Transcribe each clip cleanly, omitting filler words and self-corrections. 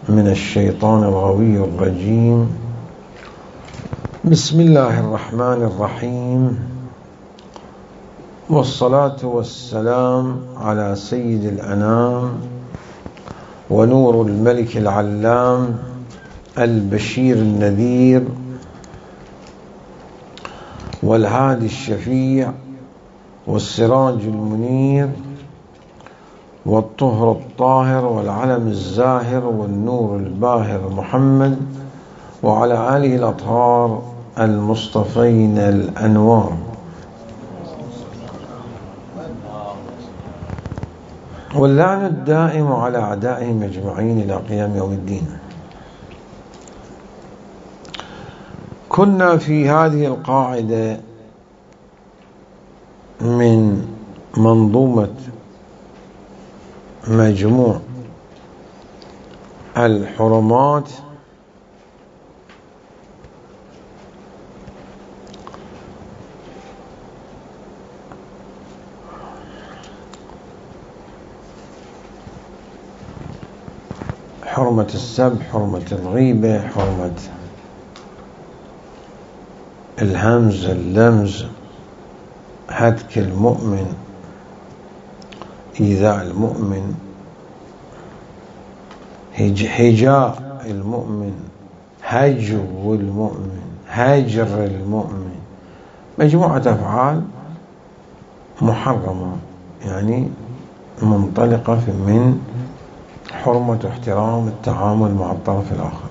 من الشيطان الغوي الرجيم. بسم الله الرحمن الرحيم، والصلاة والسلام على سيد الأنام ونور الملك العلام البشير النذير والهادي الشفيع والسراج المنير والطهر الطاهر والعلم الزاهر والنور الباهر محمد وعلى آله الأطهار المصطفين الأنوار، واللعن الدائم على أعدائهم أجمعين إلى قيام يوم الدين. كنا في هذه القاعدة من منظومة مجموع الحرمات حرمة السب، حرمة الغيبة، حرمة الهمز، اللمز، هتك المؤمن، إيذاء المؤمن، هجاء المؤمن، هجو المؤمن، هجر المؤمن، مجموعة أفعال محرمة، يعني منطلقة من حرمة واحترام التعامل مع الطرف الآخر.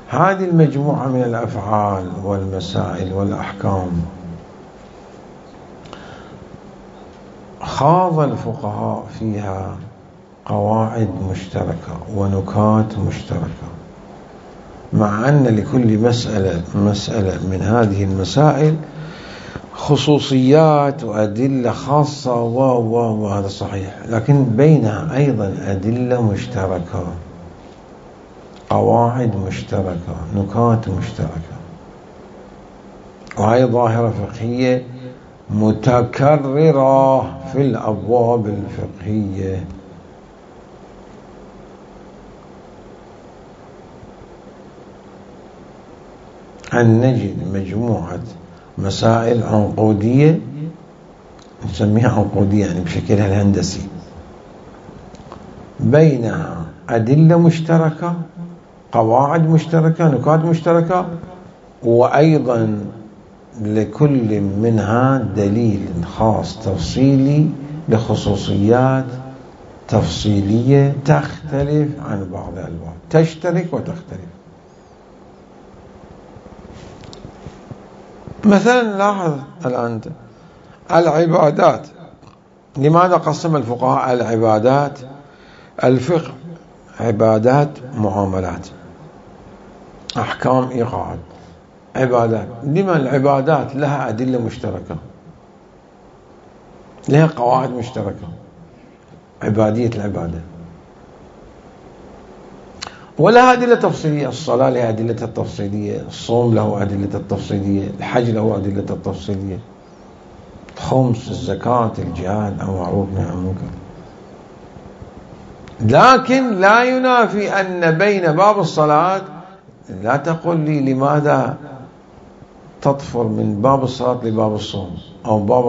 هذه المجموعة من الأفعال والمسائل والأحكام خاض الفقهاء فيها قواعد مشتركة ونكات مشتركة، مع أن لكل مسألة من هذه المسائل خصوصيات وأدلة خاصة وهذا صحيح، لكن بينها أيضا أدلة مشتركة، قواعد مشتركة، نكات مشتركة، وهي ظاهرة فقهية متكررة في الأبواب الفقهية. أن نجد مجموعة مسائل عنقودية، نسميها عنقودية يعني بشكلها الهندسي، بينها أدلة مشتركة، قواعد مشتركة، نكات مشتركة، وأيضا لكل منها دليل خاص تفصيلي لخصوصيات تفصيلية تختلف عن بعض الألوان، تشترك وتختلف. مثلا لاحظ الآن العبادات، لماذا قسم الفقهاء العبادات؟ الفقه عبادات، معاملات، أحكام، إيقاعات، عبادات. لما العبادات لها أدلة مشتركة، لها قواعد مشتركة، عبادية العبادة، ولها أدلة تفصيلية. الصلاة لها أدلة التفصيلية، الصوم له أدلة التفصيلية، الحج له أدلة التفصيلية، خمس، الزكاة، الجهاد، أو معروف نهي عن منكر. لكن لا ينافي أن بين باب الصلاة، لا تقل لي لماذا تطفر من باب الصلاة لباب الصوم، أو باب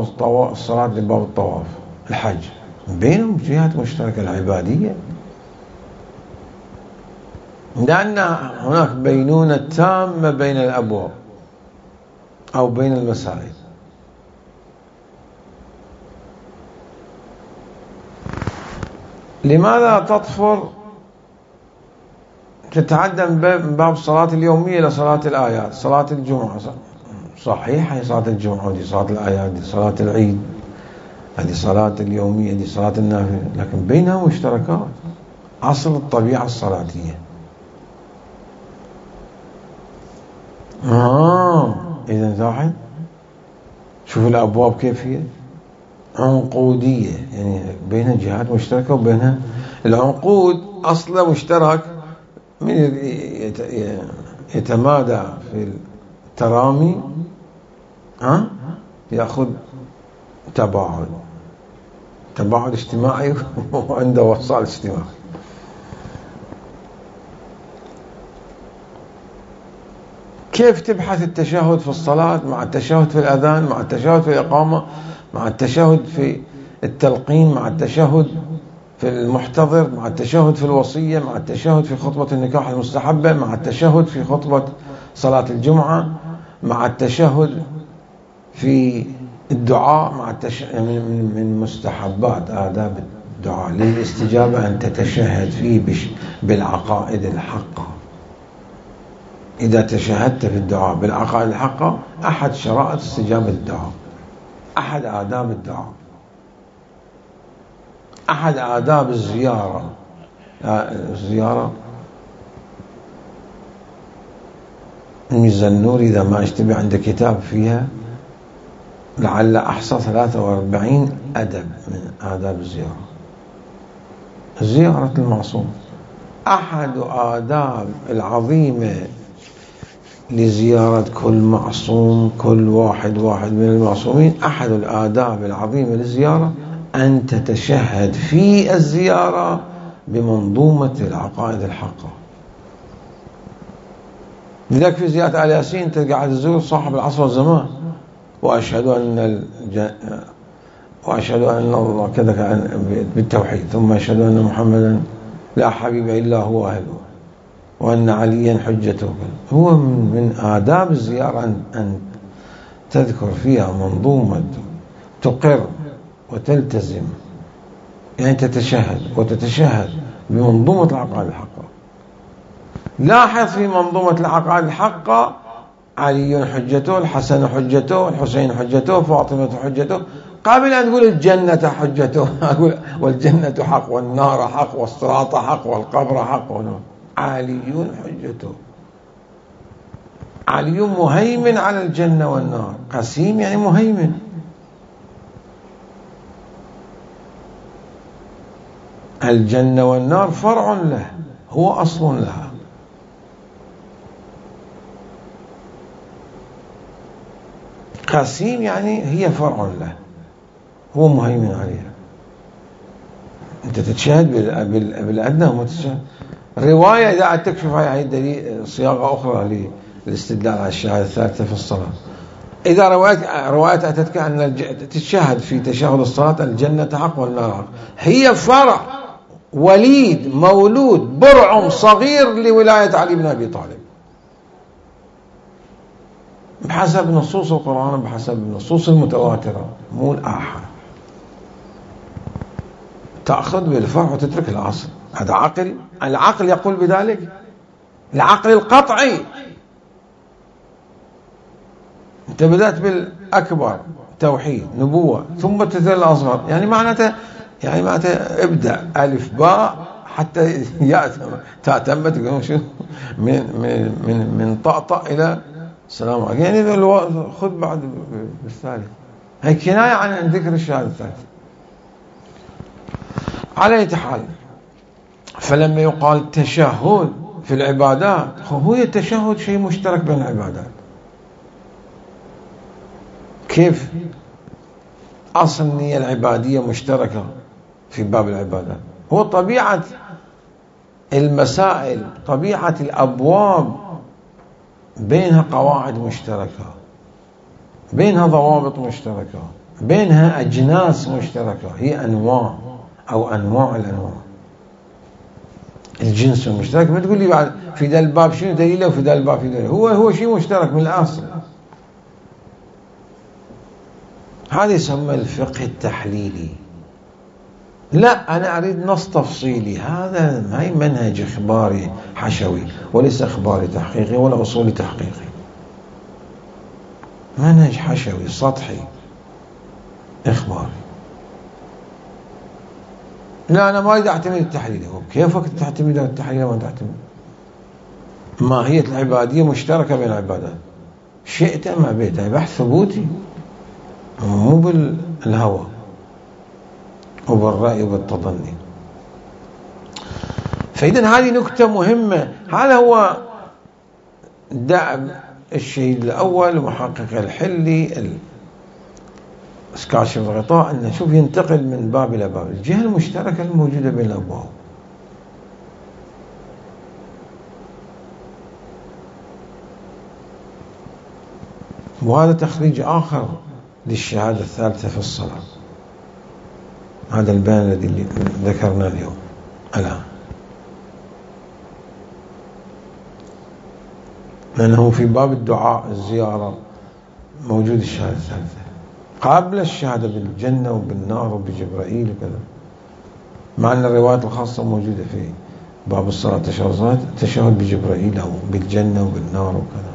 الصلاة لباب الطواف، الحج، بينهم جهات مشتركة، العبادية، لأن هناك بينونة تامة بين الأبواب أو بين المسائل. لماذا تطفر تتعدى من باب الصلاة اليومية إلى صلاة الآيات؟ صلاة الجمعة صحيح، هي صلاة الجمعة، ودي صلاة الآيات، دي صلاة العيد، هذه صلاة اليومية، دي صلاة النافلة، لكن بينها مشتركات، أصل الطبيعة الصلاتية. إذا لاحظ، شوف الأبواب كيف هي عنقودية، يعني بينها جهات مشتركة وبينها العنقود أصله مشترك. من يتمادى في الترامي يأخذ تباعد اجتماعي وعنده وصال اجتماعي. كيف تبحث التشهد في الصلاة مع التشهد في الأذان مع التشهد في الإقامة مع التشهد في التلقين مع التشهد في المحتضر مع التشهد في الوصية مع التشهد في خطبة النكاح المستحبة مع التشهد في خطبة صلاة الجمعة مع التشهد في الدعاء مع من مستحبات آداب الدعاء للاستجابة أن تتشهد فيه بالعقائد الحقة. إذا تشهدت في الدعاء بالعقائد الحقة أحد شرائط استجابة الدعاء، أحد آداب الدعاء، أحد آداب الزيارة. الزيارة الزنوري إذا ما اشتبه عنده كتاب فيها لعل أحصى 43 أدب من آداب الزيارة. زيارة المعصوم أحد آداب العظيمة لزيارة كل معصوم، كل واحد من المعصومين. أحد الآداب العظيمة للزيارة أن تتشهد في الزيارة بمنظومة العقائد الحقة. لذلك في زيارة آل ياسين أنت قاعد تزور صاحب العصر والزمان، وأشهد أن الله كذا بالتوحيد، ثم أشهد أن محمدا لا حبيب إلا هو أهله، وأن عليا حجته. هو من آداب الزيارة أن تذكر فيها منظومة تقر وتلتزم، يعني تتشهد وتتشهد بمنظومة العقائد الحقة. لاحظ في منظومة العقائد الحقة علي حجته، الحسن حجته، الحسين حجته، فاطمة حجته، قبل أن تقول الجنة حجته أقول والجنة حق والنار حق والصراط حق والقبر حق. علي حجته، علي مهيمن على الجنة والنار. قسيم يعني مهيمن. الجنة والنار فرع له، هو أصل لها. قسيم يعني هي فرع له، هو مهيمن عليها. أنت تتشهد بالأدنى ومتشهد. رواية إذا تكشف هاي دليل صياغة أخرى للاستدلال على الشهادة الثالثة في الصلاة. إذا رواية أتتك أن تتشهد في تشهد الصلاة الجنة حق والنار حق، هي فرع وليد مولود برعم صغير لولاية علي بن أبي طالب بحسب نصوص القرآن، بحسب النصوص المتواترة، مو الآحاد. تأخذ بالفرع وتترك الأصل. هذا عقل. العقل يقول بذلك، العقل القطعي. أنت بدأت بالأكبر توحيد نبوة ثم تنتهي الأصغر، يعني معناته ابدأ ألف باء حتى تأتم من طأطأ إلى السلام عليكم، يعني خذ بعد بالثالث. هي كناية عن ذكر الشهادة الثالثة. على أي حال، فلما يقال تشهد في العبادات، هو التشهد شيء مشترك بين العبادات. كيف؟ أصل النية العبادية مشتركة في باب العبادات. هو طبيعة المسائل، طبيعة الأبواب بينها قواعد مشتركة، بينها ضوابط مشتركة، بينها أجناس مشتركة، هي أنواع أو أنواع الأنواع. الجنس المشترك. ما تقول لي بعد في ذا الباب شنو دليله وفي ذا الباب في دليله. هو شيء مشترك من الأصل. هذا يسمى الفقه التحليلي. لا، أنا أريد نص تفصيلي. هذا هاي منهج إخباري حشوي وليس إخباري تحقيقي ولا أصولي تحقيقي. منهج حشوي سطحي إخباري. لا، أنا ما أريد أعتمد التحليل. كيفك تعتمد على التحليل ما تعتمد؟ ماهية العبادية مشتركة بين العبادات، شئت أم أبيت. بحث ثبوتي مو بالهوى وبالرأي وبالتظني. فإذا هذه نكتة مهمة. هذا هو دأب الشهيد الأول ومحقق الحلي كاشف الغطاء، أن نشوف ينتقل من باب إلى باب. الجهة المشتركة الموجودة بين الأبواب. وهذا تخريج آخر للشهادة الثالثة في الصلاة. هذا البيان الذي ذكرنا اليوم الآن، لأنه في باب الدعاء الزيارة موجود الشهادة الثالثة قبل الشهادة بالجنة وبالنار وبجبرائيل وكذا، مع أن الروايات الخاصة موجودة في باب الصلاة تشهد بجبرائيل أو بالجنة وبالنار وكذا.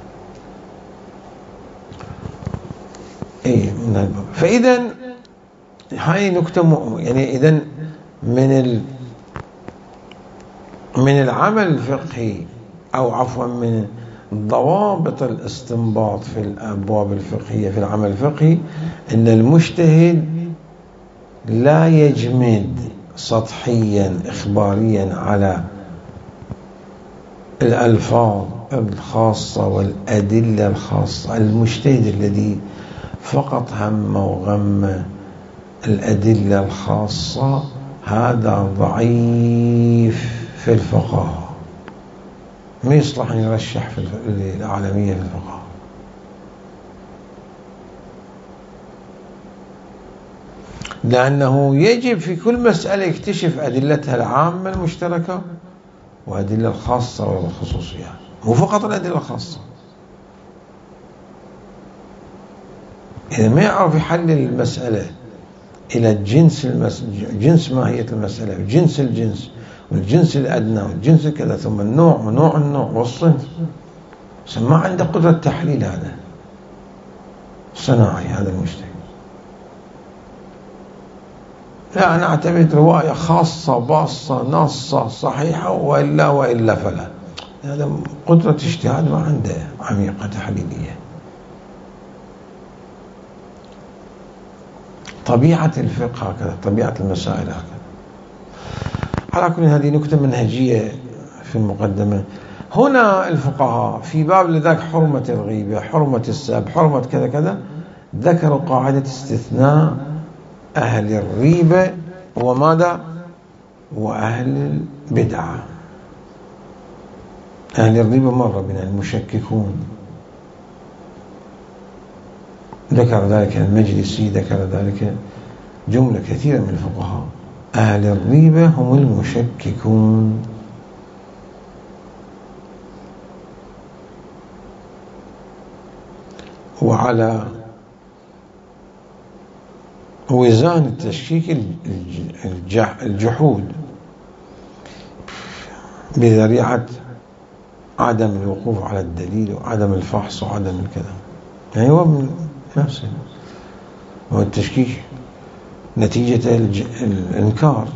من الباب. فإذا هاي نكتة يعني إذا من العمل الفقهي، أو عفوا من ضوابط الاستنباط في الأبواب الفقهية في العمل الفقهي، أن المجتهد لا يجمد سطحيا إخباريا على الألفاظ الخاصة والأدلة الخاصة. المجتهد الذي فقط هم وغم الأدلة الخاصة هذا ضعيف في الفقه، ما يصلح أن يرشح في العالمية في الفقه. لأنه يجب في كل مسألة يكتشف أدلتها العامة المشتركة وأدلة الخاصة والخصوصية، مو فقط الأدلة الخاصة. إذا ما يعرف يحلل المسألة إلى جنس ماهية المسألة وجنس الجنس والجنس الأدنى والجنس كذا، ثم النوع ونوع النوع والصنف، ما عنده قدرة تحليل هذا صناعي هذا المجتهد. لا، أنا أعتمد رواية خاصة باصة نصة صحيحة وإلا فلا. هذا قدرة اجتهاد ما عنده عميقة تحليلية. طبيعة الفقه هكذا، طبيعة المسائل هكذا. على كل هذه نكتة منهجية في المقدمة. هنا الفقهاء في باب لذلك حرمة الغيبة، حرمة السب، حرمة كذا كذا، ذكروا قاعدة استثناء أهل الريبة وماذا؟ وأهل البدعة. أهل الريبة مرة بنا المشككون، ذكر ذلك المجلسي، ذكر ذلك جملة كثيرة من الفقهاء. أهل الريبة هم المشككون. وعلى وزان التشكيك الجحود بذريعة عدم الوقوف على الدليل وعدم الفحص وعدم الكلام. يعني هو من نفسه، هو التشكيك نتيجة الإنكار.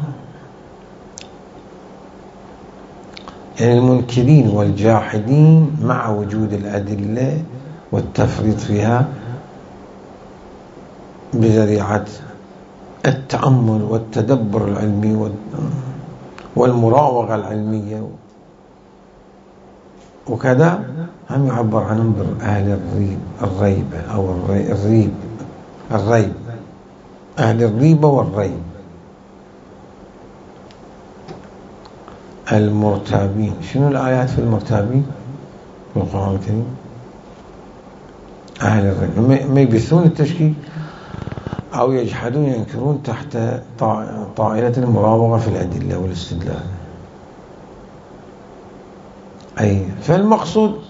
يعني المنكرين والجاحدين مع وجود الأدلة والتفريط فيها بذريعة التأمل والتدبر العلمي والمراوغة العلمية وكذا، هم يعبر عنهم بأهل الريبة أو الريب، أهل الريبة والريب. المرتابين، شنو الآيات في المرتابين في القرآن الكريم؟ أهل الريب ما يبثون التشكيك أو يجحدون ينكرون تحت طائلة المراوغة في الأدلة والاستدلال. أي فالمقصود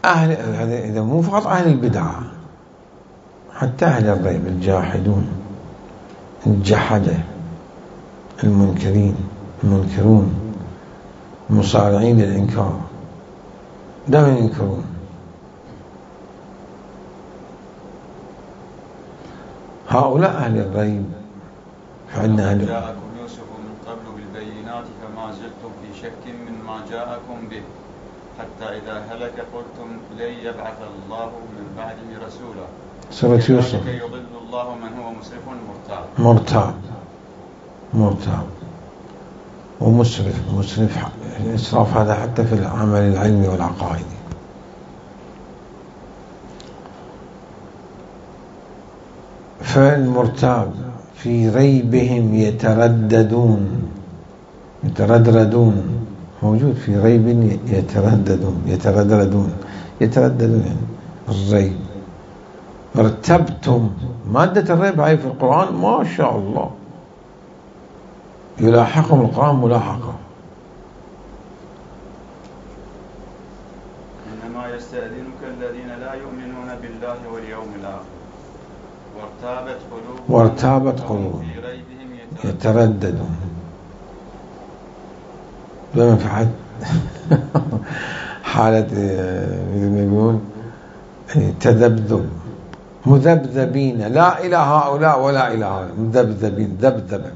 أهل، إذا مو فقط أهل البدعة، حتى أهل الريب، الجاحدون، الجحدة، المنكرون، المصارعين للإنكار، دائما ينكرون. هؤلاء أهل الريب. فعندنا أهل جاءكم يوسف من قبل بالبينات فما زلتم في شك مما جاءكم به حتى إذا هلك قلتم لن يبعث الله من بعده رسولا. سورة يوسف. يضل الله من هو مسرف مرتاب ومسرف. الإسراف هذا حتى في العمل العلمي والعقائدي. فالمرتاب في ريبهم يترددون موجود في ريب يترددون يعني الريب. ارتبتم، مادة الريب هاي في القرآن ما شاء الله يلاحقهم القرآن ملاحقة. إنما يستأذنك الذين لا يؤمنون بالله واليوم الآخر وارتابت قلوبهم في ريبهم يترددون. لما في حد حالة مثل ما يقولون تذبذب، مذبذبين لا إلى هؤلاء ولا إلى هؤلاء، مذبذبين، ذبذبة،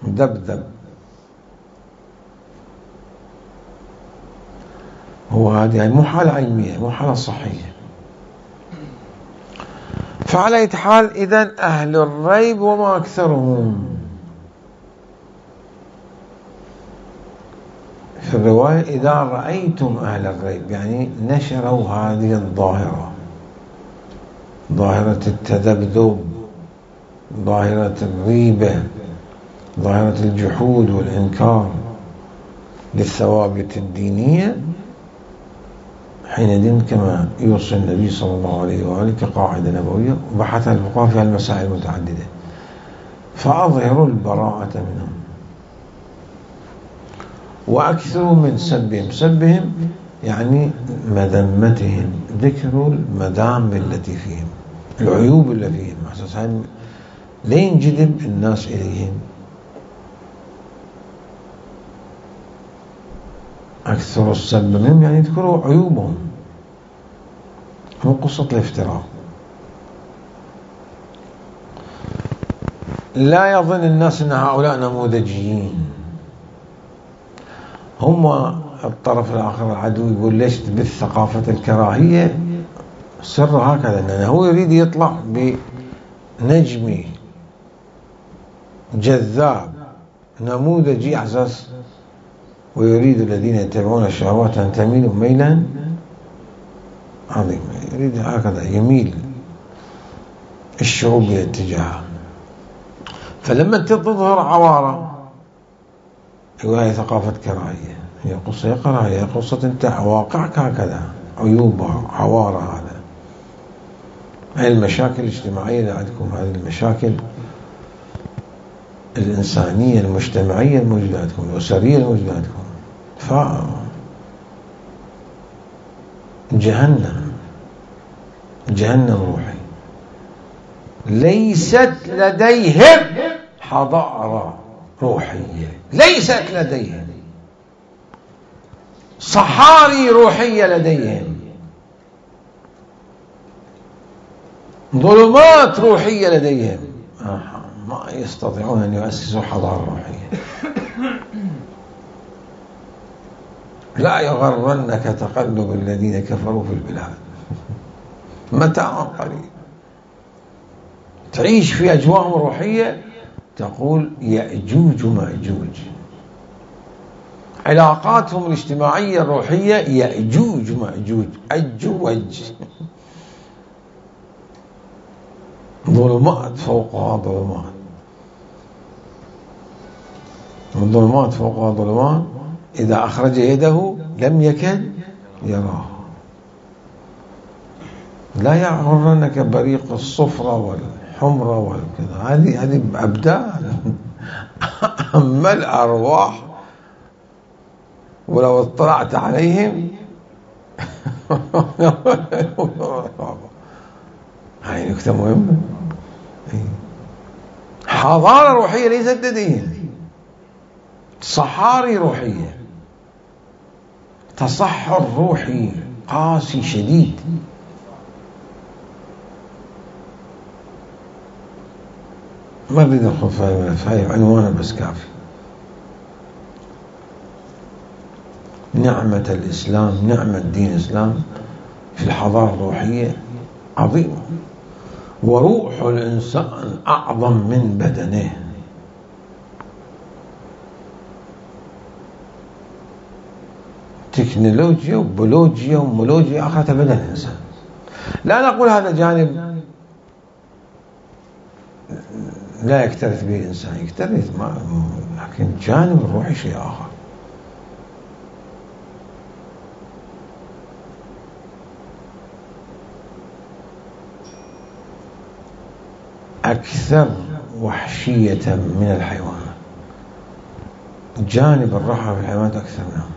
مذبذب. هو هذه يعني مو حالة علمية، مو حالة صحية. فعلى أي حال إذن أهل الريب وما أكثرهم. في الرواية إذا رأيتم أهل الريب يعني نشروا هذه الظاهرة، ظاهرة التذبذب، ظاهرة الريبة، ظاهرة الجحود والإنكار للثوابت الدينية، حينئذ كما يوصي النبي صلى الله عليه وآله كقاعدة نبوية وبحث الفقهاء في المسائل المتعددة، فأظهروا البراءة منهم وأكثروا من سبهم. سبهم يعني مذمتهم، ذكر المذام التي فيهم، العيوب اللي فيهم، أساسا لا ينجذب الناس إليهم. أكثر السب منهم يعني يذكروا عيوبهم، مو قصة الافتراء. لا يظن الناس أن هؤلاء نموذجيين. هم الطرف الآخر العدو يقول ليش تبث ثقافة الكراهية؟ سر هكذا، أنه هو يريد يطلع بنجمي جذاب نموذجي على أساس، ويريد الذين يتبعون الشهوات أن تميلوا ميلا عظيما. يريد هكذا يميل الشعوب إلى اتجاهه. فلما تظهر عوارة يقول هي ثقافة كراهية، هي قصة كراهية، هي قصة انت واقعك هكذا، عيوب عوارة. هذا هذه المشاكل الاجتماعية اللي عندكم، هذه المشاكل الإنسانية المجتمعية الموجودة عندكم، الأسرية الموجودة عندكم. جهنم روحي. ليست لديهم حضارة روحية، ليست لديهم صحاري روحية، لديهم ظلمات روحية، لديهم ما يستطيعون أن يؤسسوا حضارة روحية. لا يغرنك تقلب الذين كفروا في البلاد، متاع قليل. تعيش في أجواء روحية تقول يأجوج مأجوج. علاقاتهم الاجتماعية الروحية يأجوج مأجوج، أجوج، ظلمات فوقها ظلمات، والظلمات فوقها ظلمات، إذا أخرج يده لم يكد يراه. لا يغرنك بريق الصفرة والحمرة والكذا، هذه أبدان. أما الأرواح ولو اطلعت عليهم هاي نكتة مهمة. حضارة روحية ليست لديهم، صحاري روحية، تصحر روحي قاسي شديد. ما أريد أدخل في الملف، هاي عنوانه بس كافي. نعمة الإسلام، نعمة دين الإسلام في الحضارة الروحية عظيمة، وروح الإنسان أعظم من بدنه. تكنولوجيا وبيولوجيا ومولوجيا آخرة بدن الإنسان. لا نقول هذا جانب لا يكترث به الإنسان، يكترث، لكن جانب الروحي شيء آخر. أكثر وحشية من الحيوانات. جانب الرحمة في الحيوانات أكثر منهم،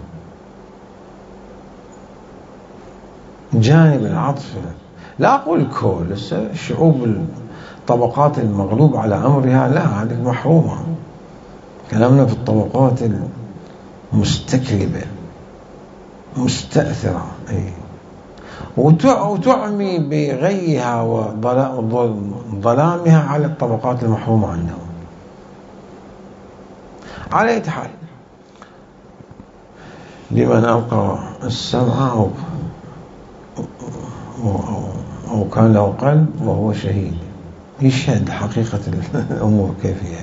جانب العطف. لا أقول كل الشعوب الطبقات المغلوب على أمرها لا، هذه محرومة. كلامنا في الطبقات المستكلبة مستأثرة، وتعمي بغيها وظلامها على الطبقات المحرومة عندهم. على أي حال، لمن ألقى السمع أو كان له قلب وهو شهيد يشهد حقيقة الأمور كيف هي.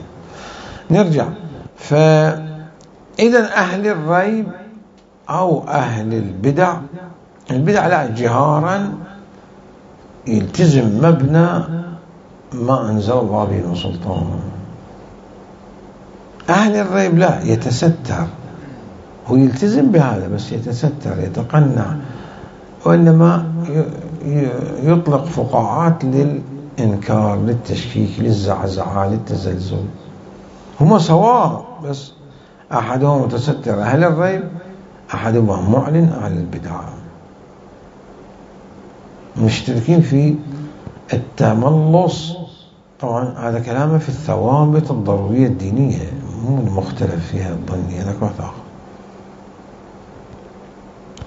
نرجع. فإذا أهل الريب أو أهل البدع لا، جهارا يلتزم مبنى ما أنزل الله به من سلطان. أهل الريب لا، يتستر، هو يلتزم بهذا بس يتستر، يتقنع، وإنما يطلق فقاعات للإنكار، للتشكيك، للزعزعة، للتزلزل. هما سواء، بس أحدهم متستر أهل الريب، أحدهما معلن أهل البدع، مشتركين في التملص. طبعا هذا كلامه في الثوابت الضرورية الدينية، مو المختلف فيها الظنية، هذاك واحد آخر.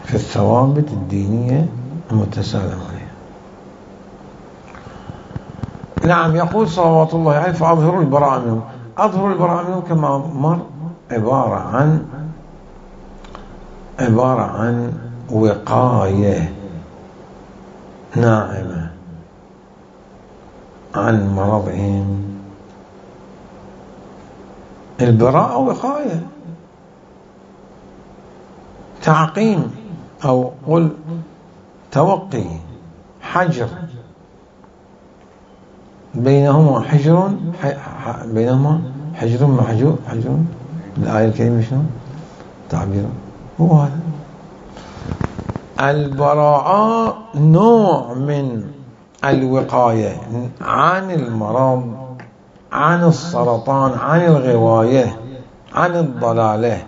في الثوابت الدينية المتسالم عليها. نعم، يقول صلوات الله عليه: فأظهروا البراءة منهم. أظهروا البراءة منهم كما مر عبارة عن وقاية ناعمة عن مرضهم. البراءة وقاية، تعقيم، أو قل توقي، حجر، بينهما حجر محجور. الآية الكريمة شنو تعبيره؟ هو هذا. البراءة نوع من الوقاية عن المرض، عن السرطان، عن الغواية، عن الضلالة،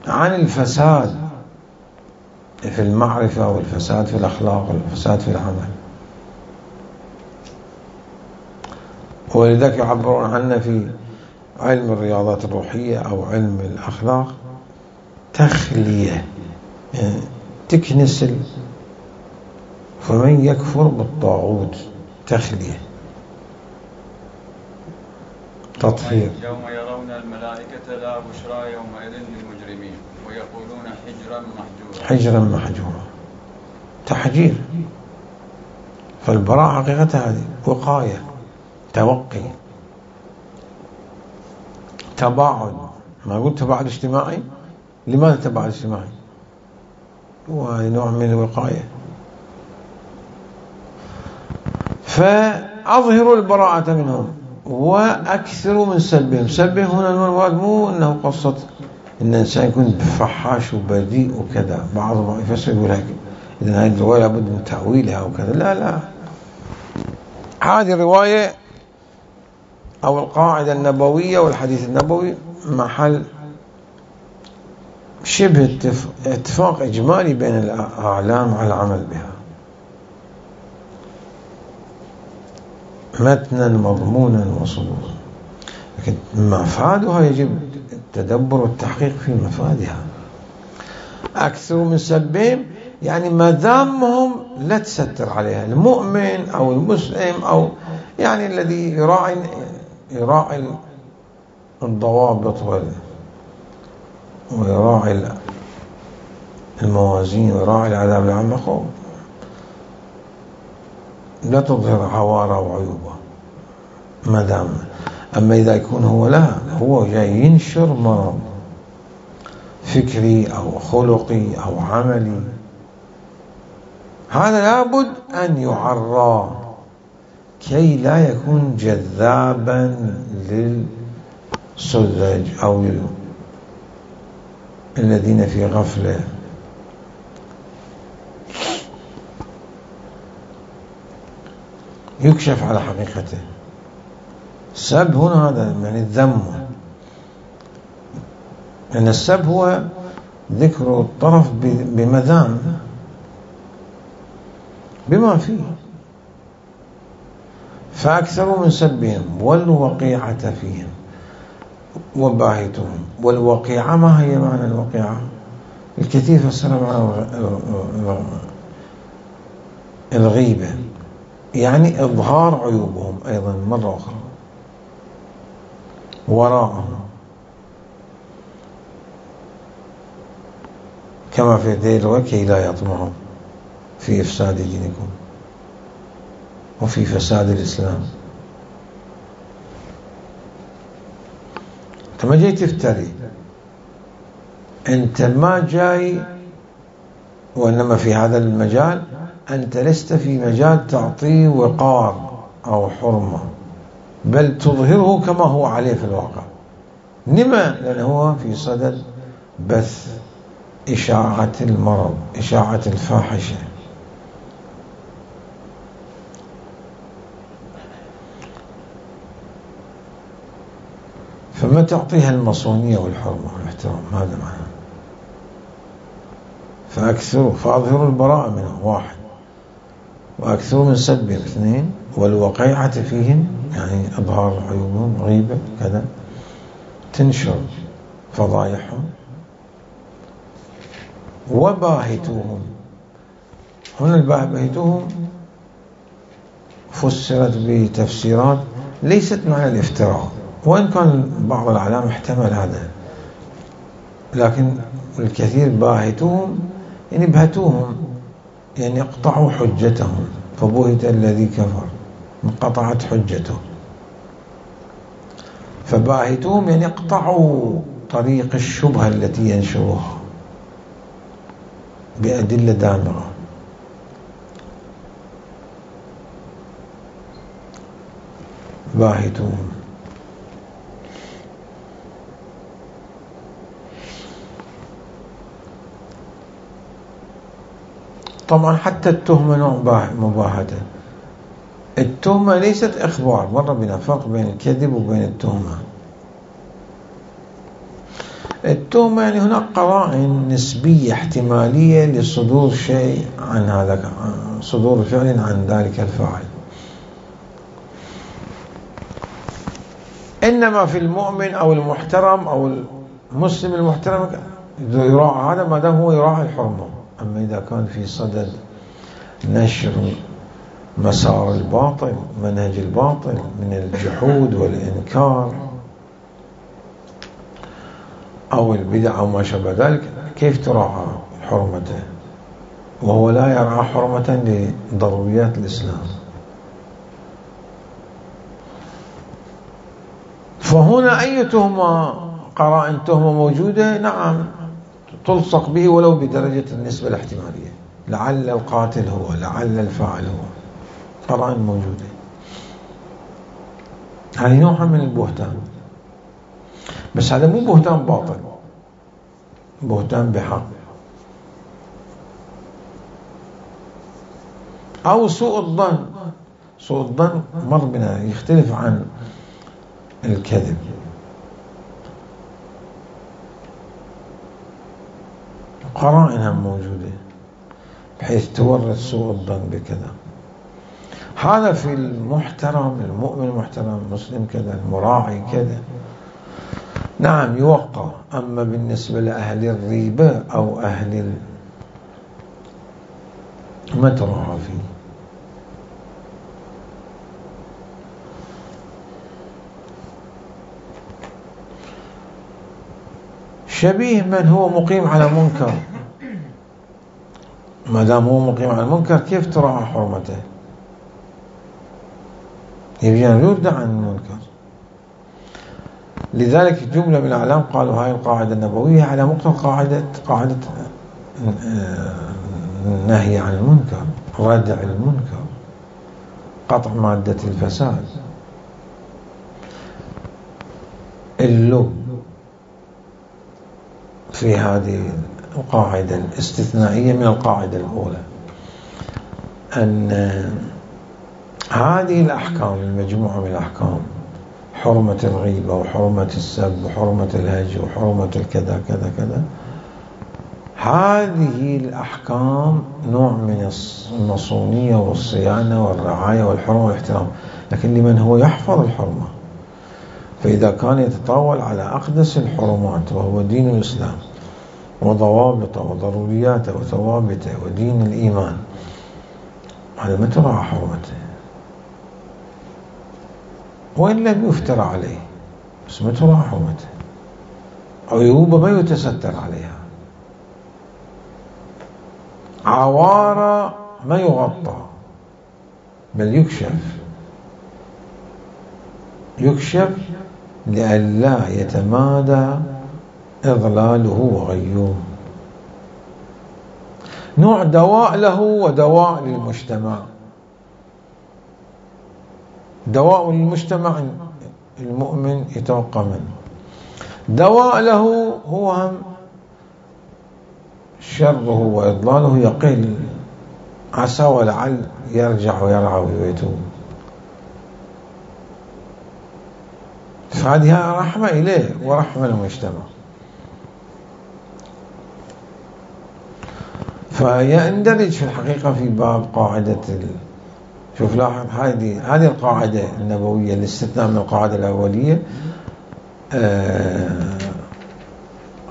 عن الفساد في المعرفة، والفساد في الأخلاق، والفساد في العمل. ولذلك يعبرون عنه في علم الرياضات الروحية أو علم الأخلاق تخلية، يعني تكنسل. فمن يكفر بالطاغوت، تخلية، تطهير. يوم يرون الملائكة لا بشرى يومئذ للمجرمين ويقولون حجرا محجورا، تحجير. فالبراءة حقيقتها هذه وقاية، توقي، تباعد. ما قلت تباعد اجتماعي؟ لماذا تباعد اجتماعي؟ هو نوع من الوقاية. فأظهروا البراءة منهم وأكثروا من سلبهم. سلبهم هنا المراد مو أنه قصة أن الإنسان يكون فحاش وبذيء وكذا. بعضهم يفسر يقول هيك، إذن هذه الرواية لابد من تأويلها وكذا. لا، هذه الرواية أو القاعدة النبوية والحديث النبوي محل شبه اتفاق إجمالي بين الأعلام على العمل بها، متنا مضمونا وصدورا. لكن مفادها يجب التدبر والتحقيق في مفادها. أكثر من سبهم، يعني مذامهم لا تستر عليها. المؤمن أو المسلم أو يعني الذي يراعي الضوابط ويراعي الموازين ويراعي العذاب العام، لا تظهر عواره وعيوبه مدام. أما إذا يكون هو جاي ينشر مرض فكري أو خلقي أو عملي، هذا لابد أن يعرى كي لا يكون جذابا للسذج أو الذين في غفلة. يكشف على حقيقته. السب هنا هذا يعني الذم، لأن السب هو ذكر الطرف بمذام بما فيه. فأكثروا من سبهم والوقيعة فيهم وباهتهم. والوقيعة ما هي معنى الوقيعة؟ الكثير فسر معنى الغيبة، يعني إظهار عيوبهم أيضا مرة أخرى وراءهم، كما في ذيل وكي لا يطمعوا في إفساد دينكم وفي فساد الإسلام. أنت ما جاي تفتري، أنت ما جاي، وإنما في هذا المجال أنت لست في مجال تعطيه وقار أو حرمة، بل تظهره كما هو عليه في الواقع. لما؟ لأنه هو في صدد بث إشاعة المرض، إشاعة الفاحشة. فما تعطيها المصونية والحرمة والاحترام، هذا معنى. فأكثروا فأظهروا البراءة منهم، واحد، وأكثروا من سبهم، اثنين، والوقيعة فيهم يعني إظهار عيوبهم، غيبة كذا، تنشر فضائحهم، وباهتوهم. هنا الباهتوهم فسرت بتفسيرات ليست معنى الافتراء، وإن كان بعض العلماء احتمل هذا، لكن الكثير باهتوهم يعني بهتوهم، يعني اقطعوا حجتهم، فبهت الذي كفر، انقطعت حجته. فباهتوهم يعني اقطعوا طريق الشبهة التي ينشروها بأدلة دامغة. باهتوهم. طبعا حتى التهمة نوع مباهته. التهمة ليست إخبار، مر بنا فرق بين الكذب وبين التهمة. التهمة يعني هناك قرائن نسبية احتمالية لصدور شيء عن هذا، صدور فعل عن ذلك الفاعل. إنما في المؤمن أو المحترم أو المسلم المحترم يراعى هذا ما دام هو يراعي الحرمة. أما إذا كان في صدد نشر مسار الباطل، منهج الباطل من الجحود والإنكار أو البدع أو ما شابه ذلك، كيف تراعى حرمته وهو لا يرعى حرمة لضروريات الإسلام؟ فهنا أي تهمة، قرائن تهمة موجودة، نعم تلصق به ولو بدرجة النسبة الاحتمالية، لعل القاتل هو، لعل الفاعل هو، قرائن موجودة. هذه نوع من البهتان، بس هذا مو بهتان باطل، بهتان بحق. أو سوء الظن. سوء الظن مر بنا يختلف عن الكذب. قرائنها موجودة بحيث تورث سوء الظن بكذا. هذا في المحترم، المؤمن المحترم، المسلم كذا، المراعي كذا، نعم يوقع. أما بالنسبة لأهل الريبة أو أهل ما تراعى فيه. شبيه من هو مقيم على منكر. ما دام هو مقيم على المنكر كيف تراعى حرمته؟ يبي أن يردع عن المنكر. لذلك جملة من الأعلام قالوا هاي القاعدة النبوية على مقتضى قاعدة النهي عن المنكر، ردع المنكر، قطع مادة الفساد، اللب في هذه القاعدة الاستثنائية من القاعدة الأولى، أن هذه الأحكام المجموعة من الأحكام، حرمة الغيبة وحرمة السب وحرمة الهجر وحرمة الكذا كذا كذا، هذه الأحكام نوع من المصونية والصيانة والرعاية والحرمة والاحترام، لكن لمن هو يحفظ الحرمة. فإذا كان يتطاول على أقدس الحرمات وهو دين الإسلام وضوابطه وضرورياته وثوابته ودين الإيمان، هذا ما تراعى حرمته، وإن لم يفترى عليه بس ما تراعى حرمته، عيوبه ما يتستر عليها، عوارة ما يغطى بل يكشف لئلا يتمادى إضلاله وغيوه. نوع دواء له ودواء للمجتمع. دواء للمجتمع المؤمن يتوقع منه، دواء له هو هم شره وإضلاله يقل، عسى ولعل يرجع ويرعى ويتوب. فهذه رحمة إليه ورحمة للمجتمع. فيندرج في الحقيقة في باب قاعدة شوف لاحظ هذه القاعدة النبوية الاستثناء من القاعدة الأولية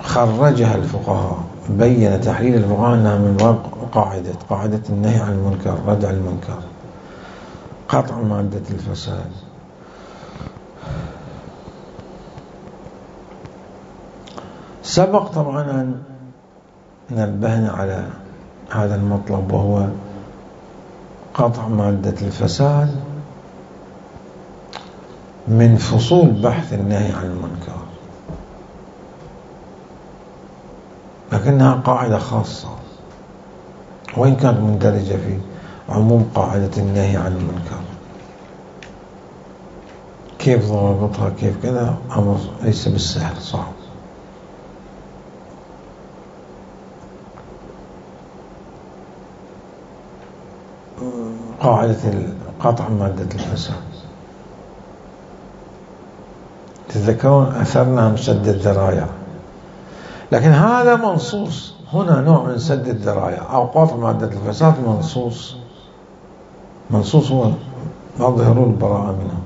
خرجها الفقهاء، بين تحليل الفقهاء أنها من باب قاعدة النهي عن المنكر، ردع المنكر، قطع مادة الفساد. سبق طبعا أن نبهنا على هذا المطلب، وهو قطع مادة الفساد من فصول بحث النهي عن المنكر، لكنها قاعدة خاصة وإن كانت مندرجة في عموم قاعدة النهي عن المنكر. كيف ضابطها كيف كذا أمر ليس بالسهل، صعب. قاعدة قطع مادة الفساد، تتذكرون أثرنا سد الذرايع، لكن هذا منصوص هنا نوع من سد الذرايع أو قطع مادة الفساد منصوص هو أظهروا البراءة منه.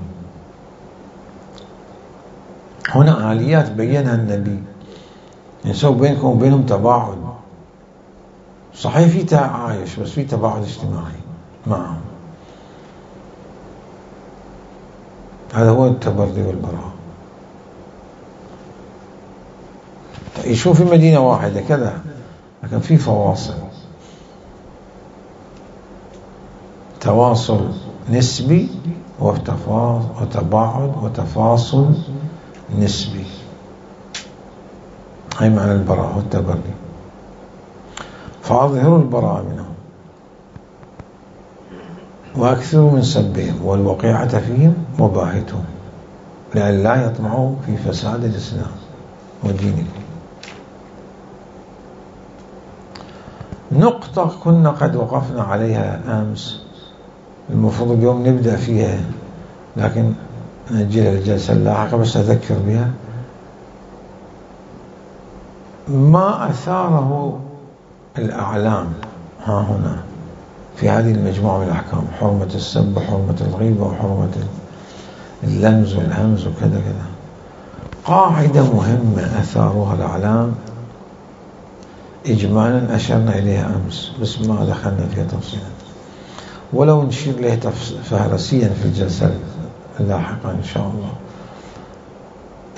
هنا آليات بينها النبي يسوي بينكم وبينهم تباعد، صحيح في تعايش بس في تباعد اجتماعي معهم. هذا هو التبردي والبراءة. يشوف في مدينة واحدة كذا لكن في فواصل، تواصل نسبي وتباعد وتفاصل نسبي. هاي معنى البراءة والتبردي. فأظهروا البراءة منهم وأكثروا من سبهم والوقيعة فيهم وباهتهم لئلا يطمعوا في فساد الإسلام ودينكم. نقطة كنا قد وقفنا عليها أمس، المفروض اليوم نبدأ فيها لكن نأجلها للجلسة اللاحقة، بس أذكر بها. ما أثاره الأعلام ها هنا في هذه المجموعة من الأحكام، حرمة السب وحرمة الغيبة وحرمة اللمز والهمز وكذا كذا، قاعدة مهمة أثارها الأعلام إجمالا أشرنا إليها أمس بس ما دخلنا فيها تفصيلا، ولو نشير له فهرسيا في الجلسة اللاحقة إن شاء الله.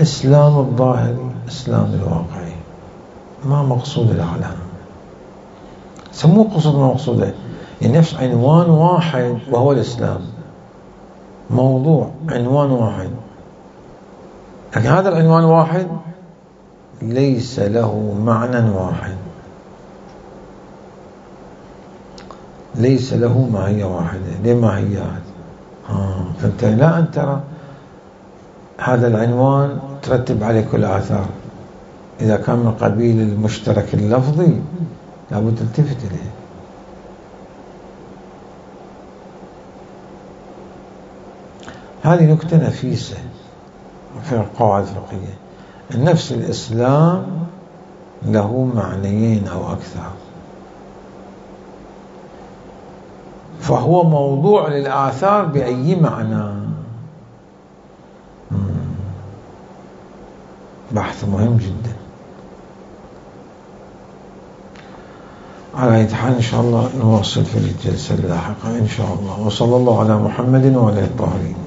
إسلام الظاهري إسلام الواقعي، ما مقصود الأعلام، سموه قصد ما مقصوده، يعني نفس عنوان واحد وهو الإسلام، موضوع عنوان واحد، لكن هذا العنوان واحد ليس له معنى واحد، ليس له ماهية واحدة، ليه ماهيات. فأنت لا أن ترى هذا العنوان ترتب عليه كل آثار، إذا كان من قبيل المشترك اللفظي لابد تلتفت إليه. هذه نكتة نفيسة في القواعد الفقهية. النفس الإسلام له معنيين أو أكثر، فهو موضوع للآثار بأي معنى. بحث مهم جدا. على أي حال إن شاء الله نواصل في الجلسة اللاحقة إن شاء الله. وصلى الله على محمد وعلى الطاهرين.